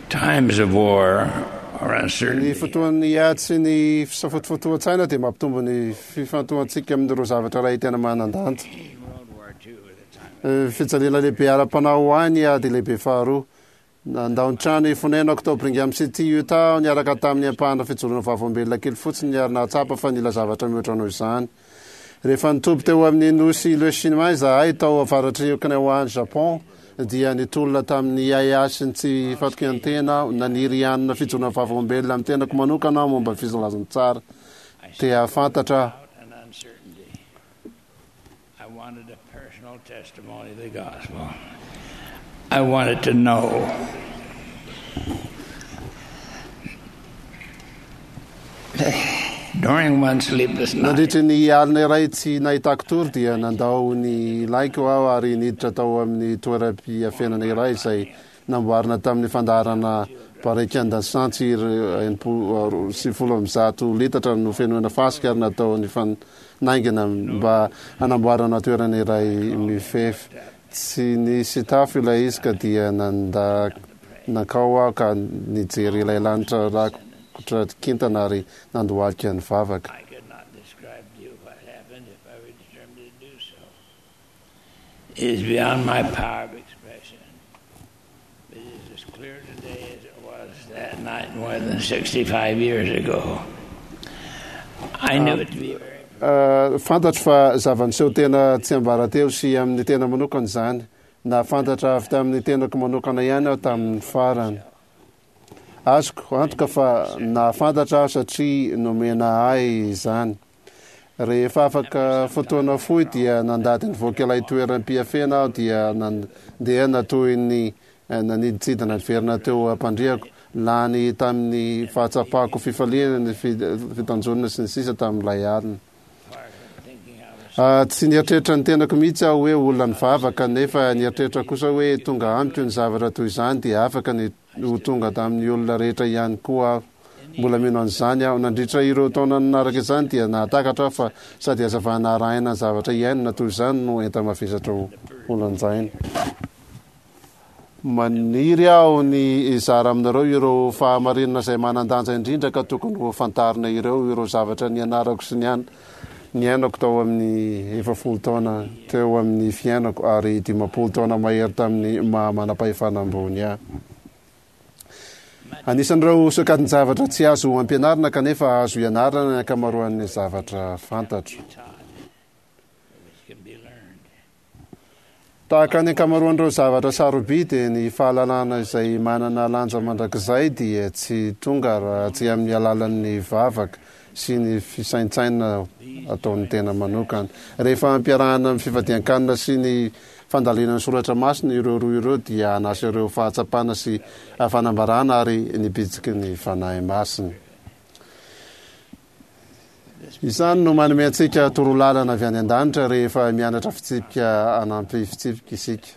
Times of war or Ny uncertainty fotoan'ny ady sy ny fisafotofotoan-tsaina dia mampitombo ny fifantohantsika amin'ireo zavatra iray tena manan-danja. World War II at the time. Fijaliana lehibe ara-panahy ho ahy ny ady lehibe faharoa. Nandao ny trano fonenako tao Brigham City, Utah aho niaraka tamin'ny ampahana fijoroana vavolombelona kely fotsiny ary nahatsapa fa nila zavatra mihoatra noho izany. Rehefa nitoby teo amin'ny nosy Iwo izahay tao avaratr'i Okinawa any Japon dia nitolona tamin'ny ahiahy sy ny tsy fatokian-tena aho. Naniry hanana fijoroana vavolombelona amin'ny tenako manokana aho momba ny filazantsara. Te hahafantatra aho. and uncertainty. I wanted a personal testimony of the gospel. I wanted to know. During one sleepless night, Nandritry ny alina iray tsy nahitako tory dia nandao ny laiko aho ary niditra tao amin'ny toeram-piafenana iray izay namboarina tamin'ny fandaharana barikan-dasantsy 160 litatra nofenoina fasika ary natao nifanaingina mba hanamboarana toerana iray mifefy. Tsy nisy tafo ilay izy ka dia nanda nankao aho ka nijery ilay lanitra rakotra kintana ary nandohalika nivavaka. I could not describe to you what happened if I were determined to do so. It is beyond my power of expression. But it is as clear today as it was that night more than 65 years ago. I knew it to be very Fantatro fa zava-niseho tena tsiambaratelo sy amin'ny tena manokana izany. Nahafantatra avy tamin'ny tenako manokana ihany aho tamin'ny farany. Azoko antoka fa nahafantatra aho satria nomena ahy izany. Rehefa afaka fotoana fohy dia nandady nivoaka ilay toeram-piafena aho dia nandeha toy ny nanidintsidina niverina teo am-pandriako, lany tamin'ny fahatsapako fifaliana ny fitanjonana sy ny sisa tamin'ilay alina. Tsy nieritreritra ny tenako mihitsy aho hoe olona nivavaka, nefa nieritreritra kosa hoe tonga amiko ny zavatra toy izany dia afaka ny ho tonga tamin'ny olona rehetra ihany koa aho. Mbola mino an'izany aho. Nandritra ireo taona nanaraka izany dia nahatakatra aho fa sady hazavana arahina ny zavatra iainana toy izany no enta-mavesatra ho lanjaina. Maniry aho ny hizara aminareo ireo fahamarinana izay manan-danja indrindra ka tokony ho fantarina ireo, ireo zavatra nianarako sy niainako tao amin'ny 40 taona teo amin'ny fiainako ary 50 taona mahery tamin'ny maha manam-pahefana ambony ahy. Anisan'ireo sokajin-javatra tsy azo ampianarina kanefa azo ianarana ny ankamaroan'ny zavatra fantatro. Tahaka ny ankamaroan'ireo zavatra sarobidy, ny fahalalana izay manana lanja mandrakizay dia tsy tonga raha tsy amin'ny alalan'ny vavaka sy ny fisaintsainana ataon'ny tena manokana. Rehefa ampiarahana amin'ny fifadian-kanina sy ny fandalinana ny soratra masina ireo roa ireo dia hanasa ireo fahatsapana sy fanambarana ary ny bitsiky ny Fanahy Masina. Izany no manome antsika torolalana avy any an-danitra rehefa mianatra fitsipika hanampy fitsipika isika.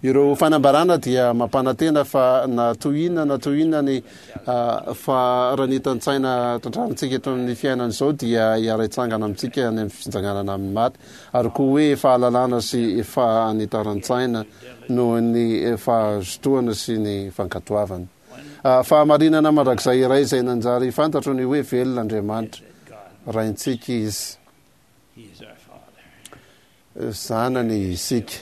Ireo fanambarana dia mampanantena fa na toy inona na toy inona ny faharanitan-tsaina trandrahantsika eto amin'ny fiainana izao dia hiara-hitsangana amintsika any amin'ny fitsanganana amin'ny maty, ary koa hoe fahalalana sy fahanitaran-tsaina noho ny fahazotoana sy ny fankatoavana. Fahamarinana mandrakizay iray izay nanjary fantatro ny hoe velona Andriamanitra, Raintsika Izy. Zanany isika.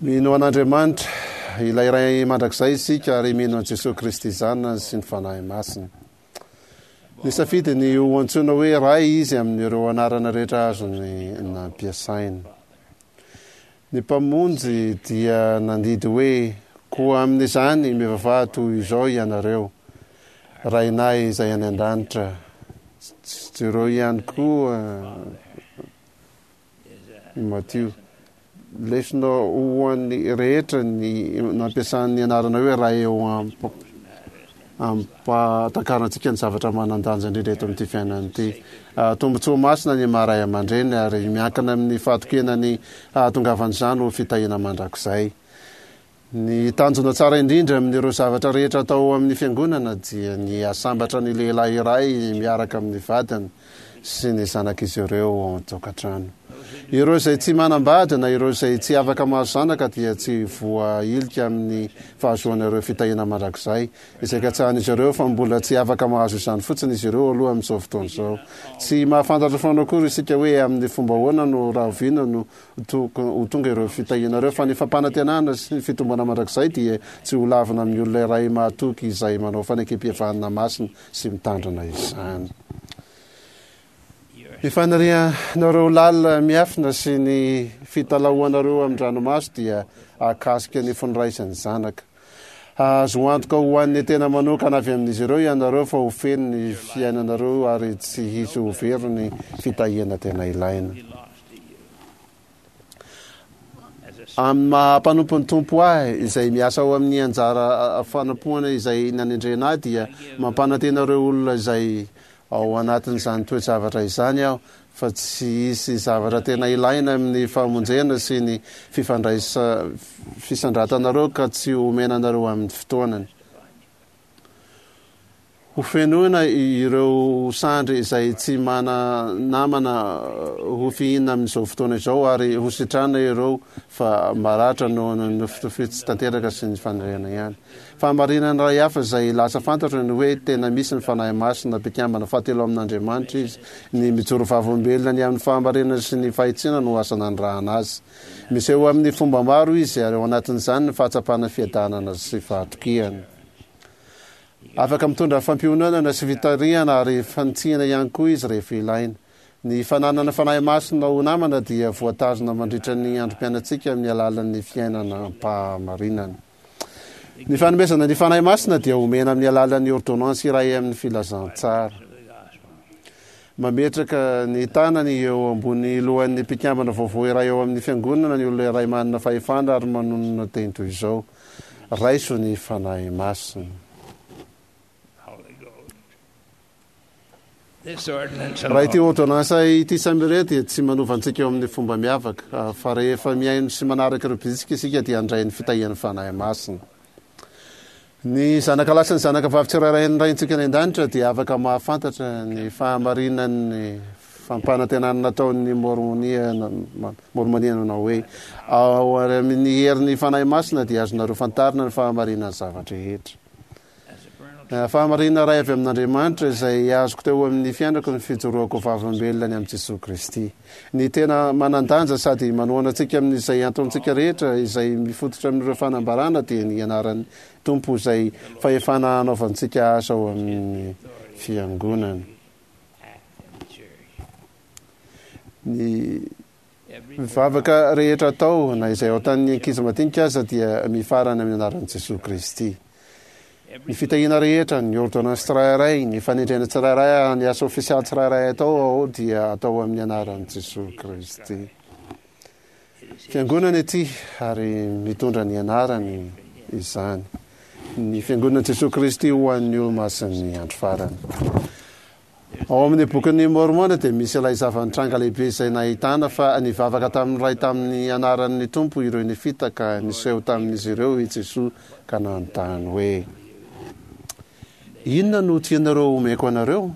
Mino an'Andriamanitra, ilay Ray mandrakizay isika ary mino an'i Jesoa Kristy Zanany sy ny Fanahy Masina. Nisafidy ny ho antsoina hoe Ray izy amin'ireo anarana rehetra azony nampiasaina. Ny Mpamonjy dia nandidy hoe, Koa amin'izany mivavaha toy izao ianareo, Rainay izay any an-danitra. Jereo ihany koa i Matio. Lesona ho an'ny rehetra ny nampiasany ny anarana hoe Ray eo ampahatakarantsika ny zavatra manan-danja indrindra eto amin'ity fiainana ity. Tombontsoa masina ny maha ray aman-dreny ary miankina amin'ny fahatokiana ny hahatongavan'izany ho fitahiana mandrakizay. Ny tanjona tsara indrindra amin'ireo zavatra rehetra atao ao amin'ny Fiangonana dia ny hahasambatra ny lehilahy iray miaraka amin'ny vadiny. sy ny zanak'izy ireo ao an-tokantrano. Ireo izay tsy manambady na ireo izay tsy afaka mahazo zanaka dia tsy voahilika amin'ny fahazoana ireo fitahiana mandrakizay izay katsahan'izy ireo fa mbola tsy afaka mahazo izany fotsiny izy ireo aloha amin'izao fotoana izao. Tsy mahafantatra foana akory isika hoe amin'ny fomba ahoana no rahoviana no ho tonga ireo fitahiana ireo fa ny fampanantenana sy ny fitomboana mandrakizay dia tsy ho lavina amin'ny olona iray mahatoky izay manao fanekempihavanana masina sy mitandrina izany. Ny fanirianareo lalina miafina sy ny fitalahoanareo amin-dranomaso dia hahakasika ny fon'ny ray sy ny zanaka. Hahazo antoka ho an'ny tena manokana avy amin'izy ireo ianareo fa ho feno ny fiainanareo ary tsy hisy ho very ny fitahiana tena ilaina. Amin'ny maha mpanompon'ny Tompo ahy, izay miasa ao amin'ny anjara fanompoana izay nanendrena ahy, dia mampanantena ireo olona izay ao anatin'izany toe-javatra izany aho fa tsy hisy zavatra tena ilaina amin'ny famonjena sy ny fifandraisa fisandratanareo ka tsy homena anareo amin'ny fotoanany. Ho fenoina ireo sandry izay tsy mana-namana ho fihinina amin'izao fotoana izao ary ho sitrana ireo fa maratra noho ny nofy tsy tanteraka sy ny faniriana ihany. Fahamarinana iray hafa izay lasa fantatro ny hoe tena misy ny Fanahy Masina, mpikambana fahatelo amin'Andriamanitra izy. Ny mijoro vavolombelona ny amin'ny fahamarinana sy ny fahitsiana no asa nanirahana azy. Miseho amin'ny fomba maro izy ary ao anatin'izany ny fahatsapana fiadanana sy fahatokiana. Afaka mitondra fampiononana sy fitarihana ary fanitsiana ihany koa izy rehefa ilaina. Ny fananana Fanahy Masina ho namana dia voatazona mandritra ny androm-piainantsika amin'ny alalan'ny fiainana am-pahamarinana. Ny fanomezana ny Fanahy Masina dia omena amin'ny alalan'ny ôrdônansy iray amin'ny filazantsara. Mametraka ny tanany eo ambony lohan'ny mpikambana vaovao iray ao amin'ny Fiangonana ny olona iray manana fahefana ary manonona teny toy izao, Raiso ny Fanahy Masina. Raha ity ôrdônansa ity samy irery dia tsy manova antsika eo amin'ny fomba miavaka, fa rehefa mihaino sy manaraka ireo bitsika isika dia handray ny fitahian'ny Fanahy Masina. Ny zanaka lahy sy ny zanaka vavy tsirairay an'ny Raintsika any An-danitra dia afaka mahafantatra ny fahamarinan'ny fampanantenana nataon'ny Môrmônia Môrmônia nanao hoe, Ao amin'ny herin'ny Fanahy Masina dia azonareo fantarina ny fahamarinan'ny zava-drehetra. Fahamarinana iray avy amin'Andriamanitra izay azoko teo amin'ny fiainako ny fijoroako ho vavolombelona ny amin'i Jesoa Kristy. Ny tena manan-danja sady manohana antsika amin'izay antontsika rehetra izay mifototra amin'ireo fanambarana dia ny anaran'ny Tompo izay fahefana hanaovantsika asa ao amin'ny Fiangonana. Ny vavaka rehetra atao, na izay ataon'ny ankizy madinika aza, dia mifarana amin'ny anaran'i Jesoa Kristy. Ny fitahiana rehetra, ny ôrdônansy tsirairay, ny fanendrena tsirairay ary ny asa ofisialy tsirairay atao ao dia atao amin'ny anaran'i Jesoa Kristy. Fiangonana ity ary mitondra ny anarany izany. Ny Fiangonan'i Jesoa Kristy ho an'ny olomasin'ny andro farany. Ao amin'ny Bokin'i Môrmôna dia misy ilay zava-nitranga lehibe izay nahitana fa nivavaka tamin'ny Ray tamin'ny anaran'ny Tompo ireo Nefita ka niseho tamin'izy ireo i Jesoa ka nanontany hoe, Inona no tianareo homeko anareo?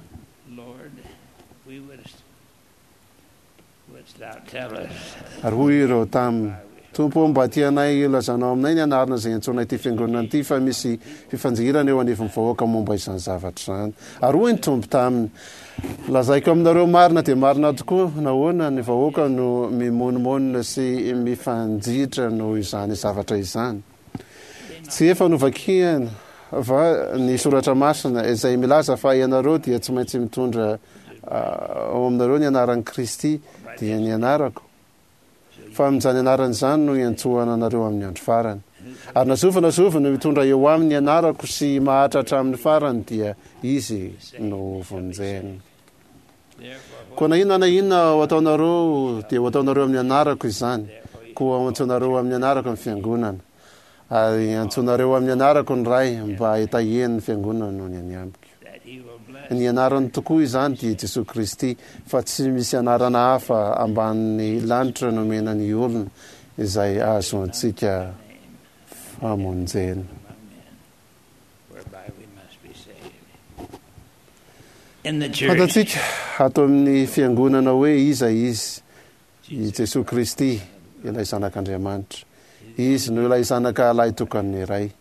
Ary hoy ireo taminy, Tompo ô, mba tianay hilazanao aminay ny anarana izay iantsoana ity fiangonana ity, fa misy fifanjihirana eo anivon'ny vahoaka momba izany zavatra izany. Ary hoy ny Tompo taminy, Lazaiko aminareo marina dia marina tokoa, nahoana ny vahoaka no mimonomonona sy mifanjihitra noho izany zavatra izany? Tsy efa novakiana va ny soratra masina izay milaza fa ianareo dia tsy maintsy mitondra ao aminareo ny anaran'i Kristy, dia ny anarako? Fa amin'izany anarana izany no hiantsoana anareo amin'ny andro farany. Ary na zovy na zovy no mitondra eo aminy ny anarako sy maharitra hatramin'ny farany dia izy no hovonjena. Koa na inona na inona ho ataonareo dia ho ataonareo amin'ny anarako izany, koa ho antsoinareo amin'ny anarako ny fiangonana, ary antsoinareo amin'ny anarako ny Ray mba hitahiany ny fiangonana noho ny any amiko. Ny anarany tokoa izany dia Jesoa Kristy, fa tsy misy anarana hafa ambanin'ny lanitra nomena ny olona izay ahazoantsika famonjena. Fantatsika ato amin'ny Fiangonana hoe iza Izy, i Jesoa Kristy, ilay Zanak'Andriamanitra. Izy no ilay Zanaka Lahitokan'ny Ray.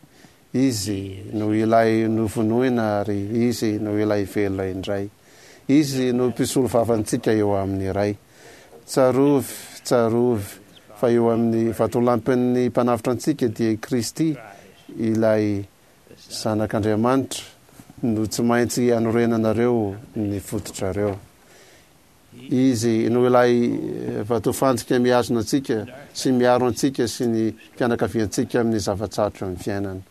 Izy no ilay novonoina ary Izy no ilay velona indray. Izy no mpisolo vavantsika eo amin'ny Ray. Tsarovy, tsarovy fa eo amin'ny vatolampin'ny Mpanavotra antsika dia i Kristy ilay Zanak'Andriamanitra no tsy maintsy anorenanareo ny fototrareo. Izy no ilay vatofantsika mihazona antsika sy miaro antsika sy ny fianakaviantsika amin'ny zava-tsarotra amin'ny fiainana.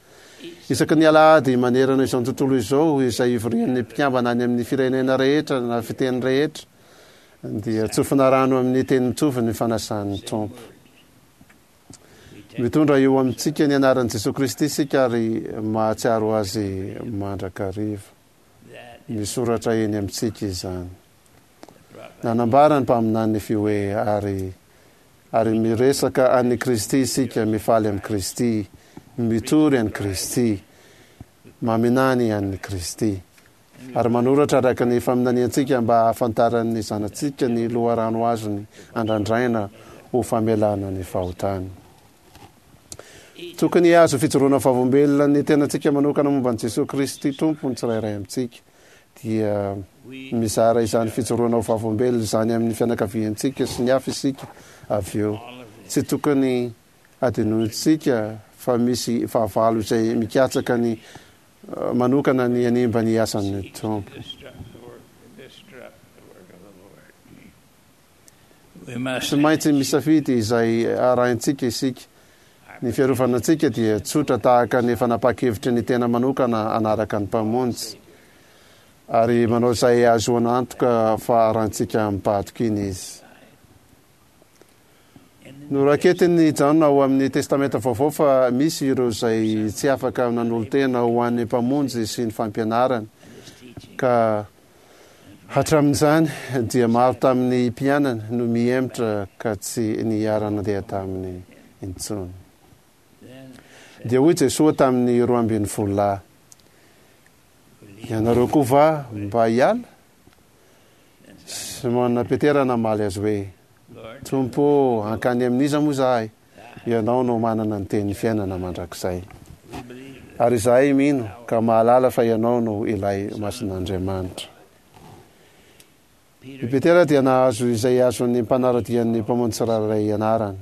Isaky ny alahady manerana izao tontolo izao izay ivorian'ny mpikambana any amin'ny firenena rehetra na fiteny rehetra dia tsofina rano amin'ny teny mitovy ny fanasan'ny Tompo. Mitondra eo amintsika ny anaran'i Jesoa Kristy isika ary mahatsiaro Azy mandrakariva. Misoratra eny amintsika izany. Nanambara ny mpaminany Nefia hoe, Ary, ary miresaka an'i Kristy isika, mifaly amin'i Kristy, mitory an'i Kristy, maminany an'i Kristy. Ary manoratra araka ny faminaniantsika mba hahafantaran'ny zanatsika ny loharano azony andrandraina ho famelana ny fahotany. Tokony hihazo fijoroana vavolombelona ny tenantsika manokana momba an'i Jesoa Kristy Tompo ny tsirairay amintsika. Dia mizara izany fijoroana ho vavolombelona izany amin'ny fianakaviantsika sy ny hafa isika avy eo. Tsy tokony hadinointsika fa misy fahavalo izay mikatsaka ny manokana ny hanimba ny asan'ny Tompo. Tsy maintsy misafidy izay arahintsika isika. Ny fiarovana antsika dia tsotra tahaka ny fanapahan-kevitry ny tena manokana hanaraka ny Mpamonjy, ary manao izay hahazoana antoka fa arahintsika amim-pahatokiana Izy. Noraketin'i Jaona ao amin'ny Testamenta Vaovao fa misy ireo izay tsy afaka nanolo-tena ho an'ny Mpamonjy sy ny fampianarany, ka Hatramin'izany dia maro tamin'ny mpianany no mihemotra ka tsy niara-nandeha taminy intsony. Dia hoy Jesoa tamin'ny 12 lahy, Ianareo koa va mba hiala? Simona Petera namaly azy hoe, Tompo ô, hankany amin'iza moa izahay? Ianao no manana ny tenin'ny fiainana mandrakizay. Ary izahay mino ka mahalala fa Ianao no ilay Masin'Andriamanitra. I Petera dia nahazo izay azon'ny mpanara-dian'ny Mpamonjy tsirairay ianarana.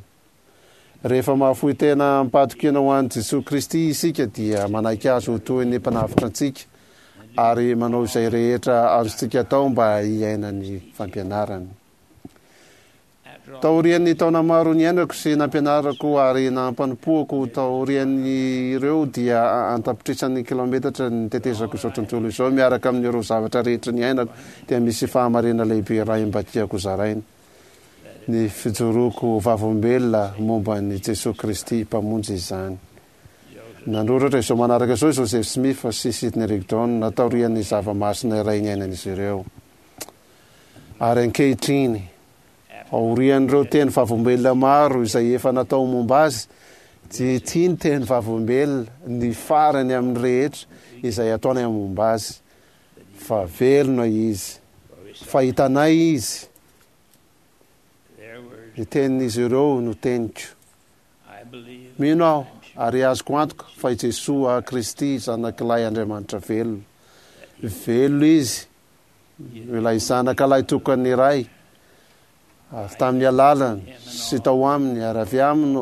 Rehefa mahafoy tena amim-pahatokiana ho an'i Jesoa Kristy isika dia manaiky Azy ho toy ny Mpanavotra antsika ary manao izay rehetra azontsika atao mba hiaina ny fampianarany. Taorian'ny taona maro niainako sy nampianarako ary nampanompoako taorian'ireo dia an-tapitrisany kilaometatra nitetezako izao tontolo izao miaraka amin'ireo zavatra rehetra niainako dia misy fahamarinana lehibe iray mba tiako hozaraina, ny fijoroako ho vavolombelona momba an'i Jesoa Kristy Mpamonjy izany. Nanoratra izao manaraka izao i Joseph Smith sy Sidney Rigdon taorian'ny zava-masina iray niainan'izy ireo. Ary ankehitriny, aorian'ireo teny vavolombelona maro izay efa natao momba azy, dia ity ny teny vavolombelona, ny farany amin'ny rehetra izay ataonay momba azy, fa velona izy, fa hitanay izy, ny tenin'izy ireo no teniko. Mino aho ary azoko antoka fa i Jesoa Kristy Zanak'ilay Andriamanitra velona. Velona Izy Ilay Zanaka lahitokan'ny Ray, avy tamin'ny alalany sy tao aminy ary avy aminy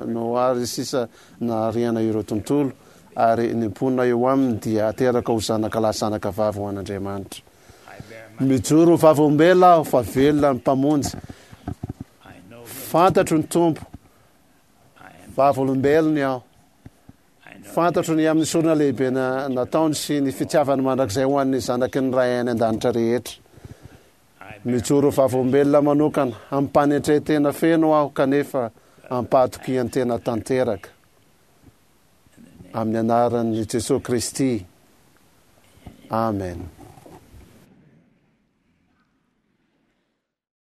no ary sisa nahariana ireo tontolo, ary ny mponina eo aminy dia ateraka ho zanaka lahy zanaka vavy ho an'Andriamanitra. Mijoro ho vavolombelona aho fa velona ny Mpamonjy. Fantatro ny Tompo. Vavolombelony aho. Fantatro ny amin'ny sorona lehibe nataony sy ny fitiavany mandrakizay ho an'ny zanaky ny Ray any An-danitra rehetra. Mijoro vavolombelona manokana amim-panetren-tena feno aho kanefa am-pahatokian-tena tanteraka. Amin'ny anaran'i Jesoa Kristy, amena.